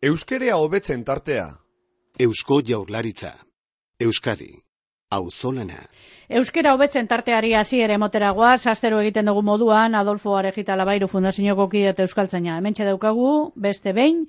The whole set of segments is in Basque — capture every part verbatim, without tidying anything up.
Euskerea hobetzen tartea. Eusko Jaurlaritza. Euskadi. Auzolana. Euskera hobetzen tarteari hasiera emoteragoaz, astero egiten dugu moduan, Adolfo Arejita Labairu Fundazioko kide eta euskaltzaina. Hementxe daukagu, beste behin,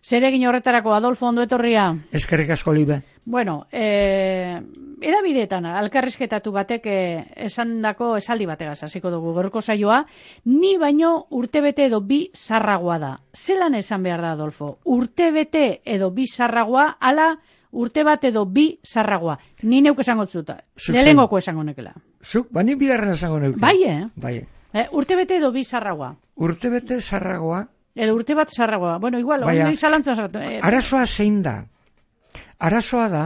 zeregin horretarako Adolfo, ondo etorria? Eskerrik asko, Libe. Bueno, eh, edabideetan, alkarrizketatu batek eh, esandako esaldi bategaz hasiko dugu gaurko saioa, ni baino urtebete edo bi zarragoa da. Zelan esan behar da, Adolfo? Urtebete edo bi zarragoa, ala urte bat edo bi zarragoa. Ni neuk esango zuta. Lehengoko esango nekela. Zuk, ba ni bigarren esango neuke. Bai, eh? Bai. Eh, urtebete edo bi zarragoa. Urtebete zarragoa. Edo urte bat zarragoa. Bueno, igual, hori zalantzan zartu. Eh, arazoa zein da? Arazoa da,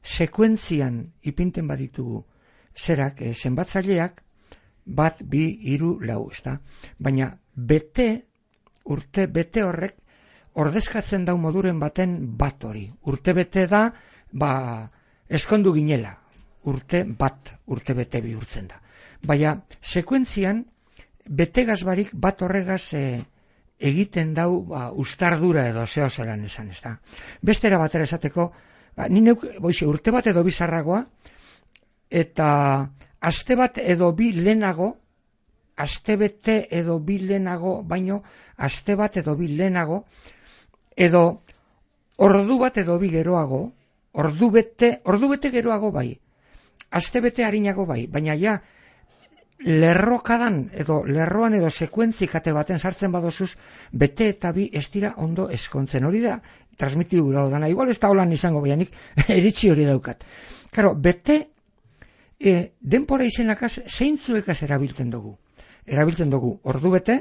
sekuentzian ipinten baditugu zerak, eh, zenbatzaileak, bat, bi, hiru, lau, ezta? Baina, bete, urte bete horrek, ordezkatzen dau moduren baten bat hori. Urte bete da, ba, eskondu ginela. Urte bat, urte bete bihurtzen da. Baina, sekuentzian, betegaz barik bat horregaz e, egiten dau ba, ustardura edo zeo zelan esan, ez da. Bestera batera esateko, ba, ni neuk, boize, urte bat edo bizarragoa, eta aste bat edo bi lehenago, aste bete edo bi lehenago, baino, aste bat edo bi lehenago, edo ordu bat edo bi geroago, ordu bete, ordu bete geroago bai, aste bete harinago bai, baina ja, lerrokadan edo lerroan edo sekuentzikate baten sartzen badozuz, bete eta bi ez dira ondo eskontzen. Hori da, transmitidu gura dana, igual ez da holan izango baianik, eritzi hori daukat. Karo, bete, e, denpora izenakaz, zeintzuekaz erabiltzen dugu. Erabiltzen dugu, ordu bete,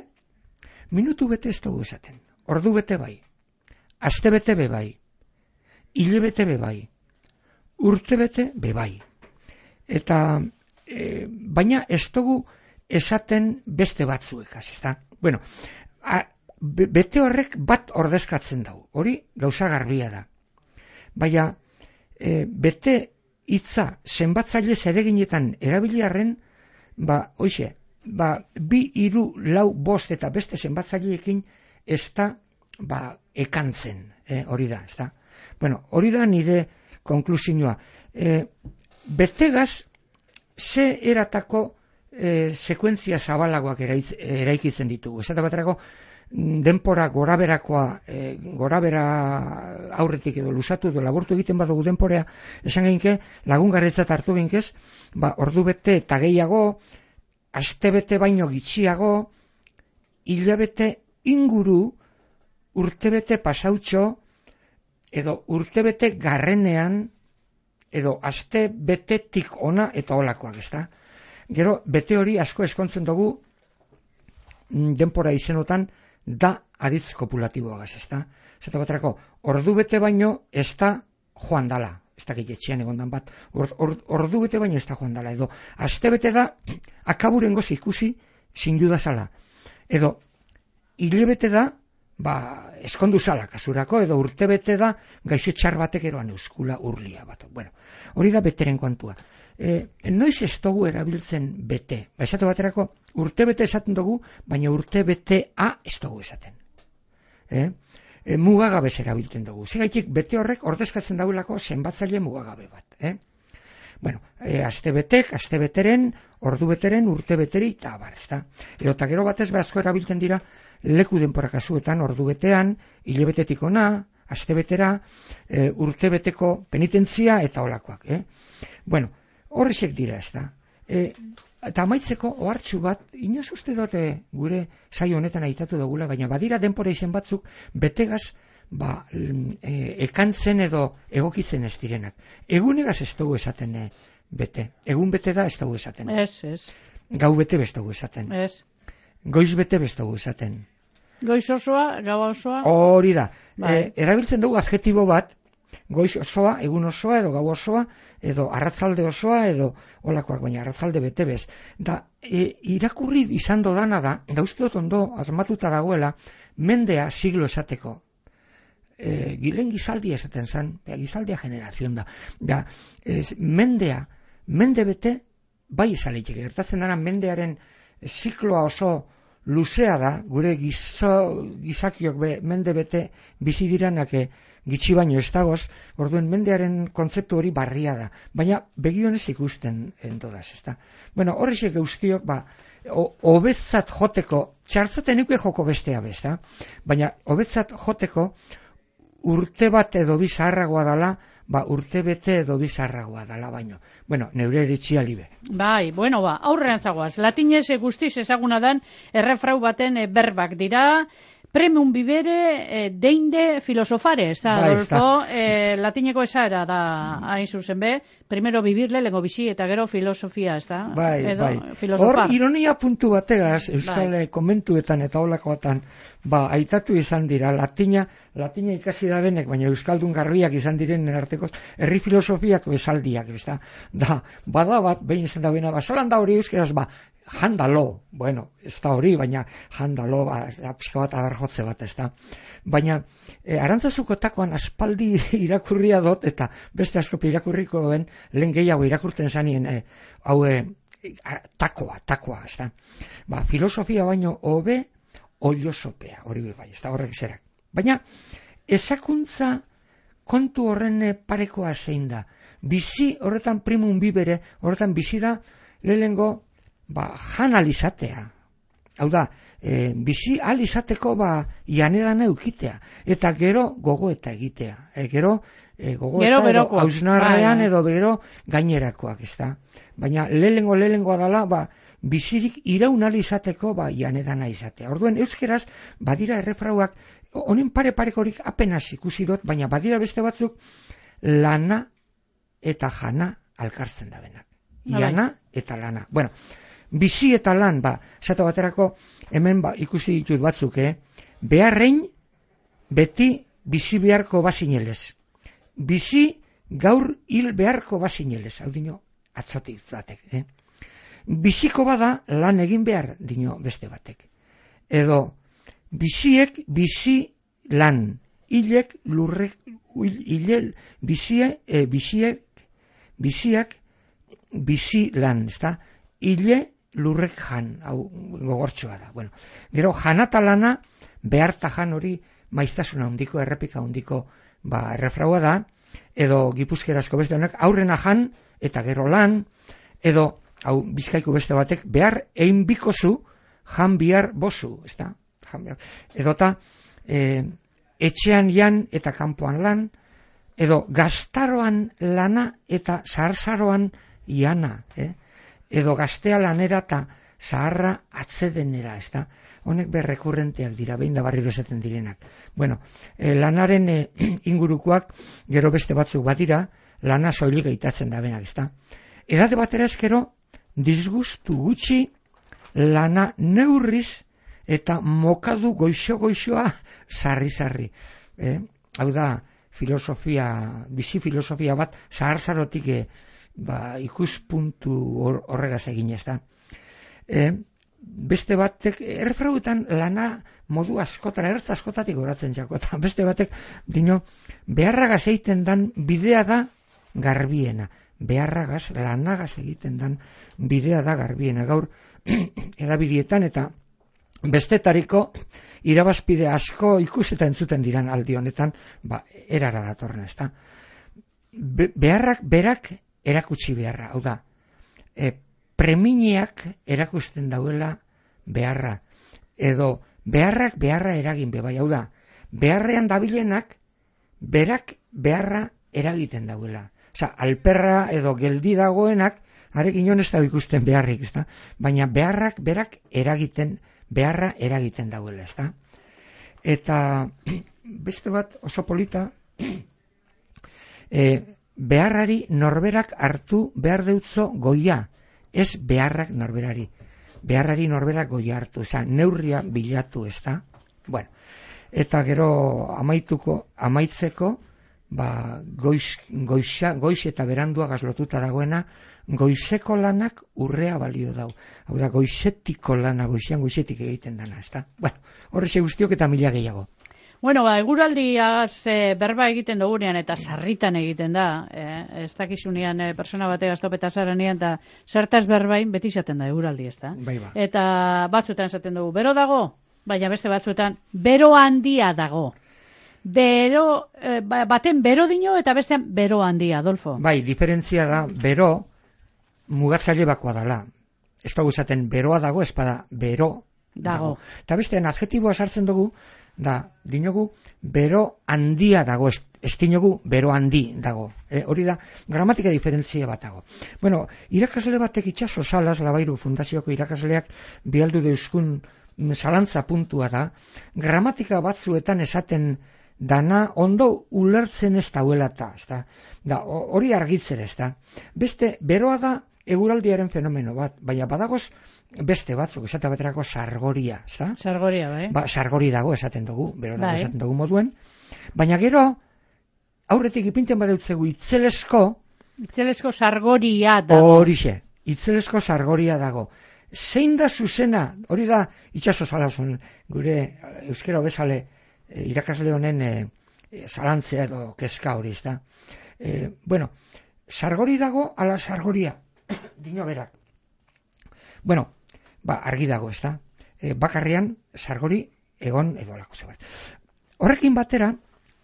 minutu bete ez dugu esaten. Ordu bete bai. Aste bete be bai, hile bete be bai, urte bete be bai. Eta, e, baina ez dugu esaten beste batzuekaz, ez da? Bueno, a, be, bete horrek bat ordezkatzen dau, hori gauza garbia da. Baina, e, bete hitza zenbatzaile zereginetan erabiliarren, ba, hoxe, ba, bi, hiru, lau, bost eta beste zenbatzaileekin ez da, ba, ekantzen, eh, hori da, ez da. Bueno, hori da nire konklusioa. Eh, betegaz, ze eratako eh, sekuentzia zabalagoak eraiz, eraikitzen ditugu. Esate baterako, denpora goraberakoa, eh, gorabera aurretik edo lusatu edo laburtu egiten badugu denporea, esan geinke, lagungarritzat hartu ginkez, ba, ordu bete eta gehiago, aste bete baino gitxiago, hilabete inguru, urtebete pasautxo, edo urtebete garrenean, edo aste betetik ona eta olakoak, ez da? Gero, bete hori asko eskontzen dugu, denpora izenotan, da aditz kopulatiboagaz, ez da? Zeta baterako, ordu bete baino ez da joan dala, ez da gehietxean egondan bat, or, or, ordu bete baino ez da joan dala, edo aste bete da, akaburen goz ikusi, zindu zala, edo hilebete da, ba, eskondu zala kasurako, edo urtebete da gaixo txar batek eroan euskula urlia bat. Bueno, hori da beteren kontua. E, noiz ez dugu erabiltzen bete. Ba, esatu baterako, urtebete esaten dugu, baina urtebetea ez dugu esaten. E? E, mugagabez erabiltzen dugu. Zegaitik, bete horrek ordezkatzen dagoelako zenbatzaile mugagabe bat. E? Bueno, e, aste betek, aste beteren, ordu beteren, urte beteri, eta bar, ez da. Edo, eta gero batez behazko erabiltzen dira, leku denpora kasuetan, ordu betean, hilebetetik ona, aste betera, e, urte beteko penitentzia eta olakoak. Eh? Bueno, horrexek dira, ez da. E, eta amaitzeko, ohartxu bat, inoz uste dute gure saio honetan aitatu dugula, baina badira denpora izen batzuk, betegaz, ba, e, ekantzen edo egokitzen ez direnak. Egunegaz ez dugu esaten e, bete. Egun bete da ez dugu esaten. Ez, ez. Gau bete ez dugu esaten. Ez. Goiz bete ez dugu esaten. Goiz osoa, gau osoa. Hori da. Bai. E, erabiltzen dugu adjetibo bat, goiz osoa, egun osoa, edo gau osoa, edo arratzalde osoa, edo olakoak, baina arratzalde bete bez. Da, e, irakurri izan dodana da, gauzte dut ondo azmatuta dagoela, mendea siglo esateko. E, gilen gizaldia esaten zen, gizaldia generazion da. Da, ez, mendea, mende bete, bai esaleitek, gertatzen dara mendearen zikloa oso luzea da, gure gizo, gizakiok be, mende bete bizi diranak gitxi baino ez dagoz, orduen mendearen kontzeptu hori barria da, baina begionez ikusten endodaz, ezta. Bueno, horrexek guztiok, ba, hobetzat joteko, txartzaten ikuek joko bestea bezta, baina hobetzat joteko urte bat edo bizarragoa dala, ba, urte bete edo bizarragoa dala baino. Bueno, neure eritxia libe. Bai, bueno, ba, aurrean zagoaz. Latinez guztiz ezaguna dan errefrau baten e, berbak dira, premium vivere e, deinde filosofare, ez da, bai, Adolfo, e, latineko esara da hain zuzen be, primero vivirle, lengo bizi, eta gero filosofia, ez da? Bai, edo, bai. Filosofar. Hor, ironia puntu bategaz, Euskal bai. Komentuetan eta holakoetan, ba, aitatu izan dira, latina, latina ikasi da benek, baina Euskaldun garbiak izan direnen artekoz, herri filosofiak bezaldiak, ez da? Da, bada bat, behin izan da bena, ba, zalan da hori euskeraz, ba, jandalo, bueno, ez da hori, baina jandalo, ba, pixka bat adarjotze bat, ez da? Baina, e, Arantzazuko takoan aspaldi irakurria dut, eta beste askopi irakurriko den, lehen gehiago irakurten zanien, e, hau, e, takoa, takoa, ez da? Ba, filosofia baino hobe, oliosopea, hori bai, ez da horrek zerak. Baina, ezakuntza kontu horren parekoa zein da. Bizi horretan primum vivere, horretan bizi da, lehengo, ba, jan alizatea. Hau da, e, bizi alizateko, ba, janedan eukitea. Eta gero gogoeta egitea. E, gero, e, gogoeta gero edo hausnarrean edo gero gainerakoak, ez da. Baina, lehengo, lehengo adala, ba, bizirik iraun alizateko, ba, janedana izatea. Orduen, euskeraz, badira errefrauak, honen pare-parekorik apenas ikusi dut, baina badira beste batzuk, lana eta jana alkartzen da benak. Jana eta lana. Bueno, bizi eta lan, ba, esate baterako, hemen ba, ikusi ditut batzuk, eh? Beharrein, beti bizi beharko bazinelez. Bizi gaur hil beharko bazinelez. Hau dino, atzotik batek, eh? Biziko bada lan egin behar, dino beste batek. Edo, biziek bizi lan, hilek lurrek, hilel, bizie, e, biziek, biziak bizi lan, ezta? Hile lurrek jan, hau gogortxoa da. Bueno, gero janata lana, beharta jan hori maiztasuna handiko, errepika handiko, ba, errefraua da, edo gipuzkerazko beste honek, aurrena jan, eta gero lan, edo, hau bizkaiko beste batek, behar egin bikozu, jan bihar bozu, ezta? Edota, e, etxean jan eta kanpoan lan, edo gaztaroan lana eta zaharzaroan jana, eh? Edo gaztea lanera eta zaharra atzedenera, ez da? Honek berrekurrenteak dira, behin da barriro esaten direnak. Bueno, e, lanaren e, ingurukoak gero beste batzuk badira, lana soilik eitatzen da benak, ez da? Edate batera eskero, disgustu gutxi, lana neurriz, eta mokadu goixo-goixoa sarri-sarri. Eh? Hau da, filosofia, bizi filosofia bat, zahar-zarotik eh, ba, ikuspuntu hor, horregaz egin ez da. Eh, beste batek, errefrauetan lana modu askotan, ertz askotatik horatzen jako, eta beste batek, dino, beharragaz egiten dan bidea da garbiena. Beharragaz, lanagaz egiten dan bidea da garbiena. Gaur, erabilietan eta bestetariko irabazpide asko ikus eta entzuten diran aldi honetan, ba, erara datorren, ez da. Be, beharrak berak erakutsi beharra, hau da, e, premineak erakusten dauela beharra, edo beharrak beharra eragin be, bai, hau da, beharrean dabilenak berak beharra eragiten dauela. Osa, alperra edo geldi dagoenak, arek inon ez da ikusten beharrik, ez da, baina beharrak berak eragiten beharra eragiten dauela, ez da? Eta beste bat oso polita, e, beharrari norberak hartu behar deutzo goia, ez beharrak norberari. Beharrari norberak goia hartu, eza, neurria bilatu, ez da? Bueno, eta gero amaituko, amaitzeko, ba, goiz, goiza, goiz eta berandua gazlotuta dagoena, goizeko lanak urrea balio dau. Hau da, goizetiko lana, goizean goizetik egiten dana, ez da? Bueno, horrexe guztiok eta mila gehiago. Bueno, ba, eguraldiaz e, berba egiten dugunean eta sarritan egiten da, e, ez dakizunean e, persona bate gaztopeta zaranean, eta zertaz berbain beti izaten da eguraldi, ez da? Bai, ba. Eta batzuetan esaten dugu, bero dago, baina beste batzuetan, bero handia dago. Bero, e, baten bero dino eta bestean bero handia, Adolfo. Bai, diferentzia da, bero mugatzaile bakoa dela. Ez dugu esaten beroa dago, espada bero dago. Eta bestean adjetiboa sartzen dugu, da, dinogu, bero handia dago, ez, ez dinogu, bero handi dago. E, hori da, gramatika diferentzia bat dago. Bueno, irakasle batek itxaso salaz, Labairu fundazioko irakasleak bialdu deuzkun zalantza puntua da, gramatika batzuetan esaten dana ondo ulertzen ez dauela eta, ez da, da, hori argitzen ez da. Beste, beroa da, eguraldiaren fenomeno bat, baina badagoz beste batzuk, esate baterako sargoria, ezta? Sargoria, bai. Ba, sargori dago esaten dugu, bero dago bai. Esaten dugu moduen, baina gero, aurretik ipinten badeutzegu itzelesko, itzelesko sargoria dago. Horixe, itzelesko sargoria dago. Zein da zuzena, hori da, itxaso zalazun, gure euskera bezale irakasle honen e, zalantzea edo kezka hori, ezta? E, bueno, sargori dago, ala sargoria, dino berak. Bueno, ba, argi dago, ez da? E, bakarrian, sargori, egon, edo alako zebat. Horrekin batera,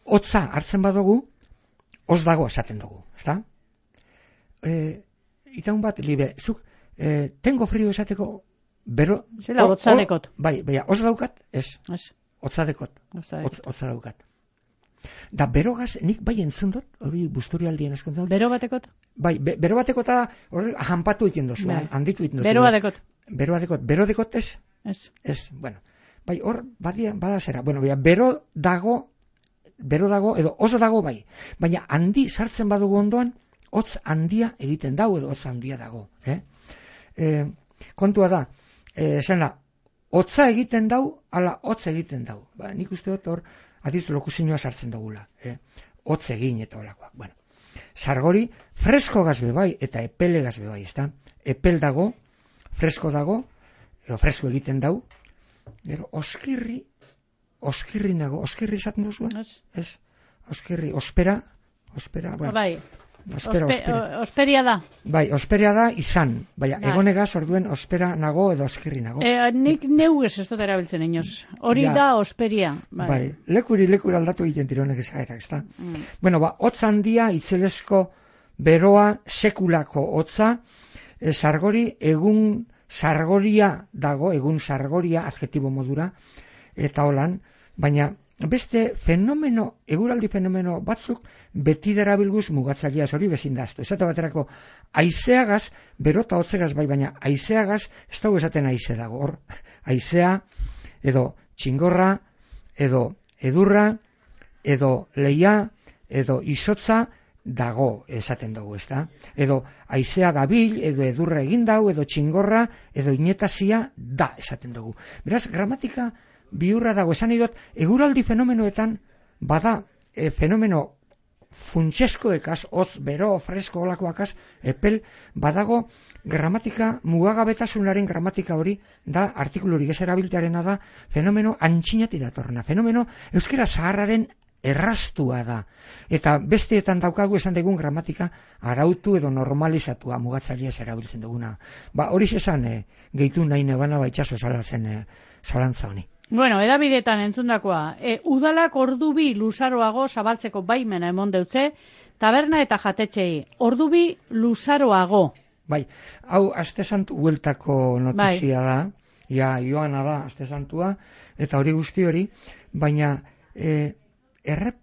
hotza hartzen badugu, hoz dago esaten dugu, ez da? E, itaun bat, libe, zuk, e, tengo frio esateko, bero... Zela, hotza dekot. Bai, baina, hoz daukat, ez. Ez. Hotza dekot. Hotza Hotza daukat. Da, berogaz, nik bai entzun dut, hori busturialdien eskontzat. Bero batekot? Bai, be, bero batekota hori hanpatu egiten dozu, bai. Handitu egiten dozu. Bero batekot. Bero batekot, bero dekot ez? Ez. Ez, bueno. Bai, hor, badia, bada zera. Bueno, bai, bero dago, bero dago, edo oso dago bai. Baina handi sartzen badugu ondoan, hotz handia egiten dau, edo hotz handia dago. Eh? E, kontua da, e, esan da, hotza egiten dau, ala hotz egiten dau. Ba, nik uste dut hor, adiz lokuzioa sartzen dugula, eh? Hotz egin eta olakoak. Bueno, sargori fresko gazbe bai eta epele gazbe bai, ezta? Epel dago, fresko dago, edo fresko egiten dau, gero oskirri, oskirri nago, oskirri esaten duzu? Ez. Ez, oskirri, ospera, ospera, bueno. Bai. Ospera, Ospe, ospera. Osperia da. Bai, osperia da izan. Baina, bai. Egonegaz orduen ospera nago edo oskirri nago. E, nik neugez ez dut erabiltzen inoz. Hori ja. Da osperia. Bai. Bai, lekuri lekuri aldatu egiten dironek ezaerak, ezta? Mm. Bueno, ba, hotz handia, itzelesko beroa, sekulako hotza, e, sargori, egun sargoria dago, egun sargoria, adjetibo modura, eta holan, baina beste fenomeno, eguraldi fenomeno batzuk beti darabilguz mugatzaileaz hori bezindaztu. Esate baterako, aizeagaz, berota hotzegaz bai, baina aizeagaz, ez dago esaten aize dago, hor, aizea, edo txingorra, edo edurra, edo leia, edo izotza, dago esaten dugu, ez da? Edo aizea dabil, edo edurra egin dau, edo txingorra, edo inetazia da esaten dugu. Beraz, gramatika bihurra dago, esan idot, eguraldi fenomenoetan bada e, fenomeno funtseskoekaz, hotz, bero, fresko, olakoakaz, epel, badago gramatika, mugagabetasunaren gramatika hori, da, artikulurik ez erabiltearena da, fenomeno antxinati datorna, fenomeno euskera zaharraren erraztua da, eta besteetan daukagu esan dugun gramatika arautu edo normalizatua mugatzaileaz erabiltzen duguna. Ba, hori esan e, gehitu nahi nebana baitxaso zala zen e, zalantza honi. Bueno, edabidetan entzundakoa, e, udalak ordubi luzaroago zabaltzeko baimena emon deutze, taberna eta jatetxei, ordubi luzaroago. Bai, hau aste santu hueltako notizia bai. Da, ja, joana da aste santua, eta hori guzti hori, baina e, errep,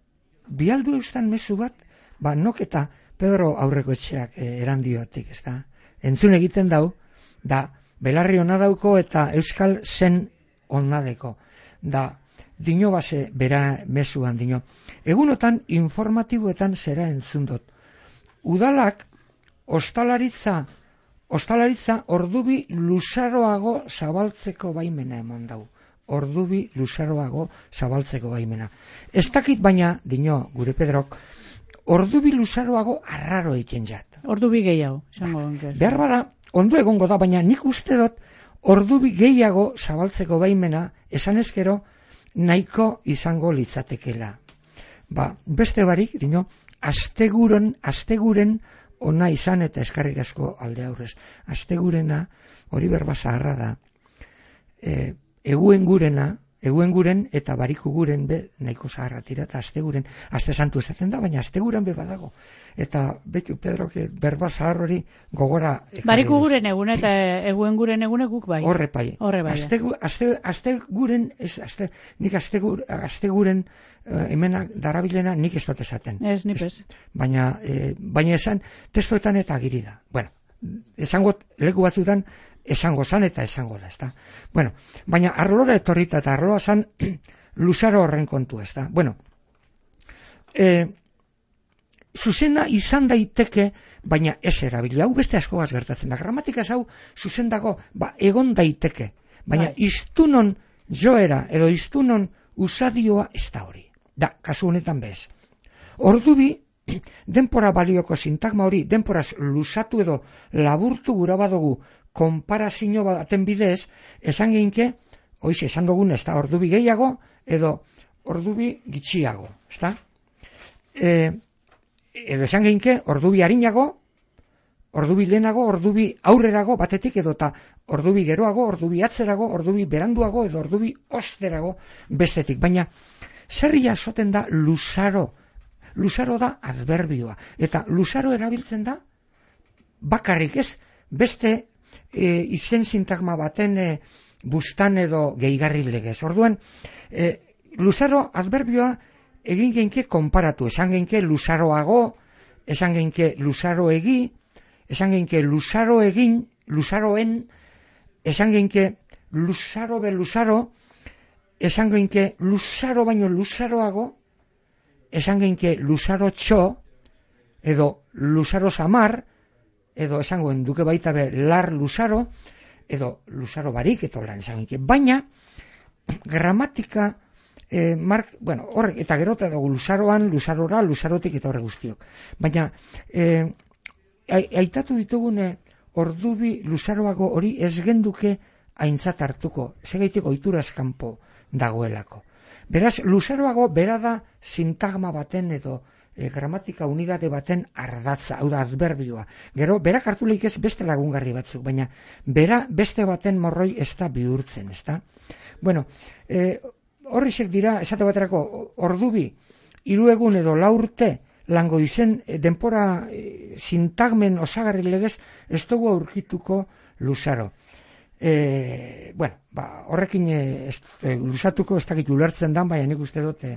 bialdu eustan mezu bat, ba, nok eta Pedro aurreko etxeak e, erandiotik, ez da? Entzun egiten dau, da, belarri hona dauko eta euskal zen onnadeko, da, dino base bera mezuan dino. Egunotan informatiboetan zera entzundot. Udalak ostalaritza, ostalaritza ordubi luzaroago zabaltzeko baimena emon dau. Ordubi luzaroago zabaltzeko baimena. Ez dakit baina, dino, gure Pedrok, ordubi luzaroago arraro egiten jat. Ordubi gehiago, zango ba, behar bada, ondo egongo da, baina nik uste dut, ordubi gehiago zabaltzeko baimena, esan ezkero, nahiko izango litzatekela. Ba, beste barik, dino, asteguren, asteguren ona izan eta eskarrik asko alde aurrez. Astegurena, hori berba zaharra da, e, eguen gurena, eguen guren eta bariku guren be nahiko zaharra tira, eta asteguren, aste santu esaten da, baina asteguren be badago. Eta betu, Pedro, que berba zahar hori gogora... Bariku guren egun eta eguen guren egune guk bai. Horre bai. Horre bai. Aste, aste, aste guren, ez, aste, nik aste, aste guren uh, hemen darabilena nik ez dut esaten. Ez, nipez. Baina, eh, baina esan, testoetan eta agiri da. Bueno, esango leku batzutan, esango zan eta esango da, ezta? Bueno, baina arlora etorrita eta arloa zan luzaro horren kontu, ezta? Bueno, eh, zuzena izan daiteke, baina ez erabili. Hau beste askogaz gertatzen da. Gramatikaz hau zuzen dago, ba, egon daiteke. Baina bai. Iztunon joera edo iztunon usadioa ez da hori. Da, kasu honetan bez. Ordubi, denpora balioko sintagma hori, denporaz luzatu edo laburtu gura badugu konparazio baten bidez, esan geinke, oiz, esan dugun ez da, ordubi gehiago edo ordubi gitxiago, ez da? E, edo esan geinke, ordubi harinago, ordubi lehenago, ordubi aurrerago batetik edo eta ordubi geroago, ordubi atzerago, ordubi beranduago edo ordubi osterago bestetik. Baina, zerri jasoten da luzaro, luzaro da adverbioa, eta luzaro erabiltzen da bakarrik ez, beste e, izen sintagma baten e, bustan edo gehigarri legez. Orduan, e, luzaro adverbioa egin geinke konparatu, esan geinke luzaroago, esan geinke luzaro egi, esan geinke luzaro egin, luzaroen, esan geinke luzaro be luzaro, esan geinke luzaro baino luzaroago, esan geinke luzaro txo, edo luzaro samar, edo esangoen duke baita be lar luzaro, edo luzaro barik, eto lan esan geinke. Baina, gramatika, eh, mark, bueno, horrek, eta gero eta dugu luzaroan, luzarora, luzarotik eta horre guztiok. Baina, eh, aitatu ditugune ordubi luzaroago hori ez genduke aintzat hartuko, segaitik ohitura eskampo dagoelako. Beraz, luzaroago bera da sintagma baten edo e, gramatika unidade baten ardatza, hau da adverbioa. Gero, berak hartu lehik ez beste lagungarri batzuk, baina bera beste baten morroi ez da bihurtzen, ez da? Bueno, e, horrizek dira, esate baterako, ordubi, hiru egun edo lau urte, lango izen e, denpora e, sintagmen osagarri legez, ez dugu aurkituko luzaro. E, bueno, ba, horrekin e, ez, e, luzatuko ez dakit ulertzen dan, baina nik uste dut e,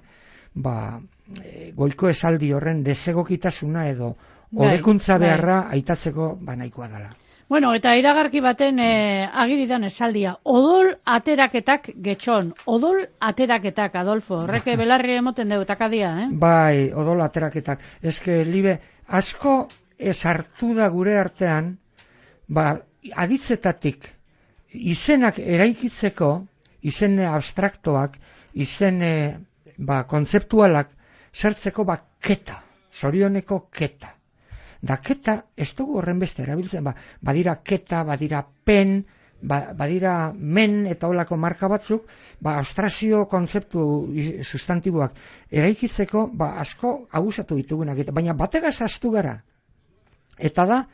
ba, e, goiko esaldi horren desegokitasuna edo hobekuntza beharra aitatzeko ba, nahikoa dela. Bueno, eta iragarki baten e, agiridan esaldia, odol ateraketak getxon, odol ateraketak, Adolfo, horreke belarri emoten dugu takadia, eh? Bai, odol ateraketak, eske libe, asko esartu da gure artean, ba, aditzetatik, izenak eraikitzeko, izen abstraktoak, izen ba, kontzeptualak, zertzeko ba, keta, zorioneko keta. Da keta, ez dugu horren beste erabiltzen, ba, badira keta, badira pen, ba, badira men eta holako marka batzuk, ba, abstrakzio kontzeptu sustantiboak eraikitzeko, ba, asko abusatu ditugunak, baina bategaz astu gara. Eta da,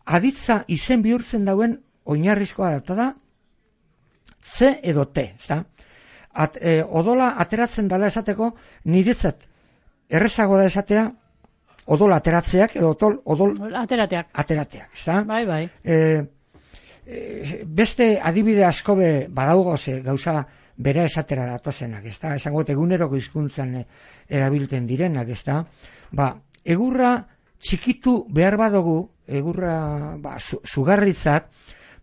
aditza izen bihurtzen dauen oinarrizkoa da, eta da, C edo T, ezta? At, e, odola ateratzen dela esateko, niretzat errezago da esatea, odola ateratzeak, edo otol, odol aterateak, aterateak, ezta? Bai, bai. E, e, beste adibide askobe badaugo ze gauza bera esatera datozenak, ezta? Esango eguneroko hizkuntzan erabiltzen direnak, ezta? Ba, egurra txikitu behar badugu, egurra ba, su, sugarritzat,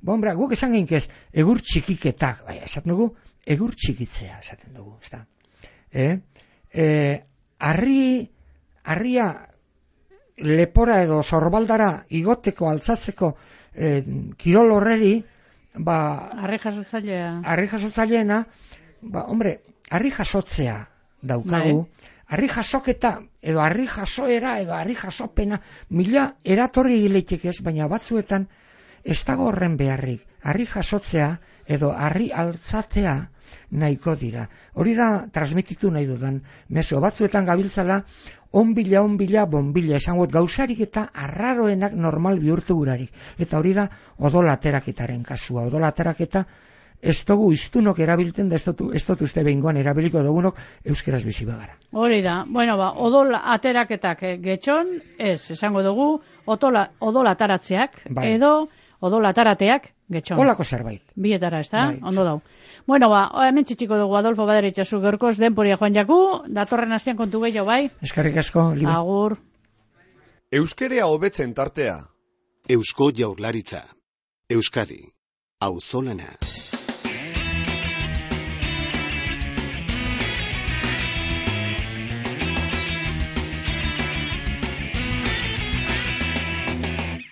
ba, ombra, guk esan geinkez, egur txikiketak, bai, esaten dugu, egur txikitzea, esaten dugu, ezta? E, e, arri, arria lepora edo zorbaldara igoteko, altzatzeko e, kirol horreri, ba... Arri jasotzailea. Arri jasotzaileena, ba, hombre, arri jasotzea daukagu, bai. Arri jasoketa, edo arri jasoera, edo arri jasopena, mila eratorri gileitek ez, baina batzuetan ez dago horren beharrik, harri jasotzea edo harri altzatea nahiko dira. Hori da transmititu nahi dudan mezu, batzuetan gabiltzala onbila, onbila, bonbila, esangot gauzarik eta arraroenak normal bihurtu gurarik. Eta hori da odolateraketaren kasua, odolateraketa ez dugu iztunok erabiltzen da, ez dut uste behingoan erabiliko dugunok euskeraz bizi bagara. Hori da, bueno ba, odol ateraketak getxon, ez, esango dugu, otola, odol ataratzeak, bai. Edo odol atarateak getxon. Olako zerbait. Bietara, ez da? Bai. Ondo dau. Bueno ba, hemen txitxiko dugu Adolfo Badaritxazu gaurkoz denporia joan jaku, datorren astean kontu gehiago bai? Eskerrik asko, Libe. Agur. Euskerea hobetzen tartea. Eusko Jaurlaritza. Euskadi. Auzolana.